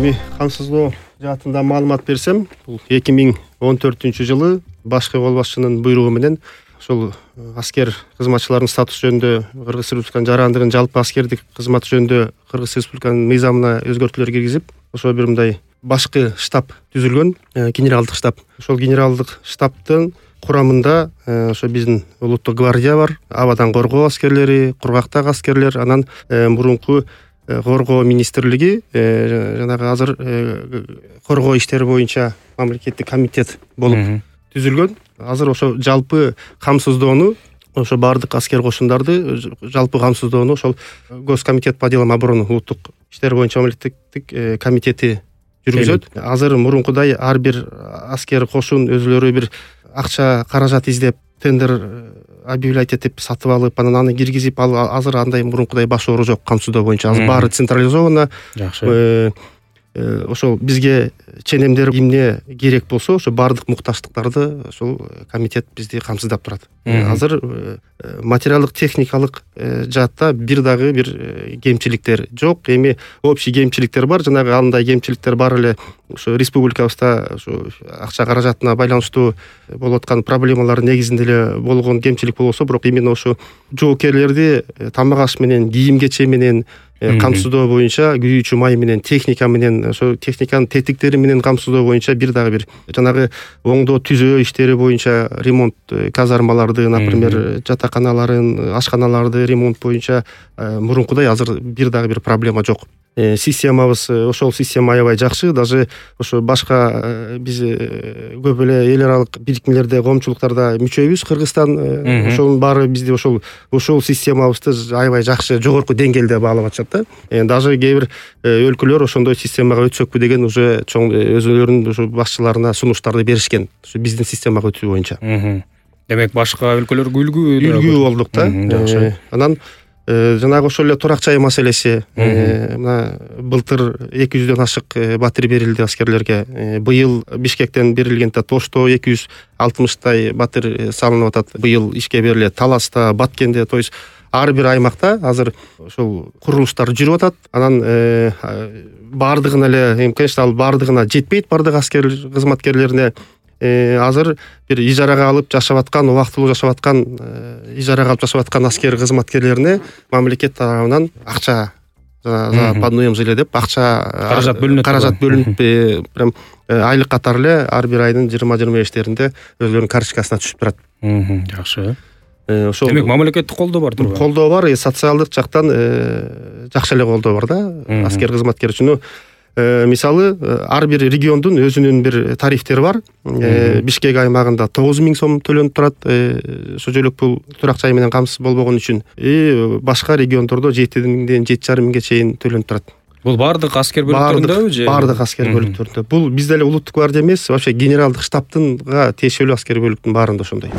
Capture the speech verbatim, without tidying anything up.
Эми камсыздоо жаатында маалымат берсем, бул эки миң он төртүнчү жылы башкы кол башчынын буйругу менен ошол аскер кызматчыларынын статусу жөнүндө Кыргыз Республикасынын жарандыгын жалпы аскердик кызмат жөнүндө Кыргыз Республикасынын мыйзамына өзгөртүүлөр киргизип, ошо бир мындай башкы штаб түзүлгөн, генералдык штаб. Ошол генералдык штабтын курамында ошо биздин улуттук гвардия бар, абадан коргоо аскерлери, кургактагы аскерлер, анан мурунку коргоо министрлиги, жанагы азыр коргоо иштери боюнча мамлекеттик комитет болуп түзүлгөн. Азыр ошо жалпы камсыздоону, ошо бардык аскер кошундарды жалпы камсыздоону ошол Госкомитет по делам обороны улуттук иштер боюнча мамлекеттик комитети жүргүзөт. Азыр мурункудай ар бир аскер кошун өзүлөрү бир акча каражат издеп, тендер объявлять этип сатып алып, анан аны киргизип, ал азыр андай мурункудай баш оору жок камсыздоо боюнча. Азыр баары централизовано. Жакшы. Ошол бизге ченемдер эмне керек болсо, ошо бардык мукташтыктарды ошол комитет бизди камсыздап турат. Азыр материалдык техникалык жаатта бир дагы бир кемчиликтер жок. Эми общий кемчиликтер бар, жанагы андай кемчиликтер бар эле ошо республикабызда ошо акча каражатына байланыштуу болуп аткан проблемалар негизинде эле болгон кемчилик болбосо, бирок именно ошо жоокерлерди тамак аш менен, кийим кече менен камсыздоо боюнча, күйүүчү май менен, техника менен, ошо техниканын тетиктери менен камсыздоо боюнча бир дагы бир жанагы оңдоо түзөө иштери боюнча ремонт, казармаларды, например, жатаканаларын, ашканаларды ремонт боюнча мурункудай азыр бир дагы бир проблема жок. Системабыз ошол система аябай жакшы, даже ошо башка биз көп эле эл аралык бирикмелерде, коомчулуктарда мүчөбүз. Кыргызстан ошонун баары бизди ошол ошол системабызды аябай жакшы, жогорку деңгээлде баалап атышат да. Даже кээ бир өлкөлөр ошондой системага өтсөкпү деген уже чоң өзүлөрүнүн ошо башчыларына сунуштарды беришкен, ошо биздин системага өтүү боюнча. Демек башка өлкөлөргө үлгү үлгү болдук да. Жакшы. Анан жанагы ошол эле турак жай маселеси, мына былтыр эки жүздөн ашык батир берилди аскерлерге. Быйыл Бишкектен берилген Тошто эки жүз алтымыштай батир салынып атат. Быйыл ишке берилет. Таласта, Баткенде, то есть ар бир аймакта азыр ошол курулуштар жүрүп атат. Анан бардыгына эле, конечно, ал бардыгына жетпейт, бардык аскер кызматкерлерине. Азыр бир ижарага алып жашап аткан, убактылуу жашап аткан, ижарага алып жашап аткан аскер кызматкерлерине мамлекет тарабынан акча за подноемж эле деп акча каражат бөлүнөт. Каражат бөлүнүп, прям айлык катары эле ар бир айдын жыйырма жыйырма бештеринде өзүлөрүнүн карточкасына түшүп турат. Жакшы. Ошол демек мамлекеттик колдоо бар турбайбы? Колдоо бар, социалдык жактан жакшы эле колдоо бар да аскер кызматкер үчүн. Мисалы, ар бир региондун өзүнүн бир тарифтери бар. Бишкек аймагында тогуз миң сом төлөнүп турат, ошо жөлөк пул турак жай менен камсыз болбогон үчүн. И башка региондордо жети миңден жети жарым миңге чейин төлөнүп турат. Бул бардык аскер бөлүктөрүндөбү же? Бардык аскер бөлүктөрүндө. Бул бизде эле улуттук гвардия эмес, вообще генералдык штабтынга тиешелүү аскер бөлүктүн баарында ошондой.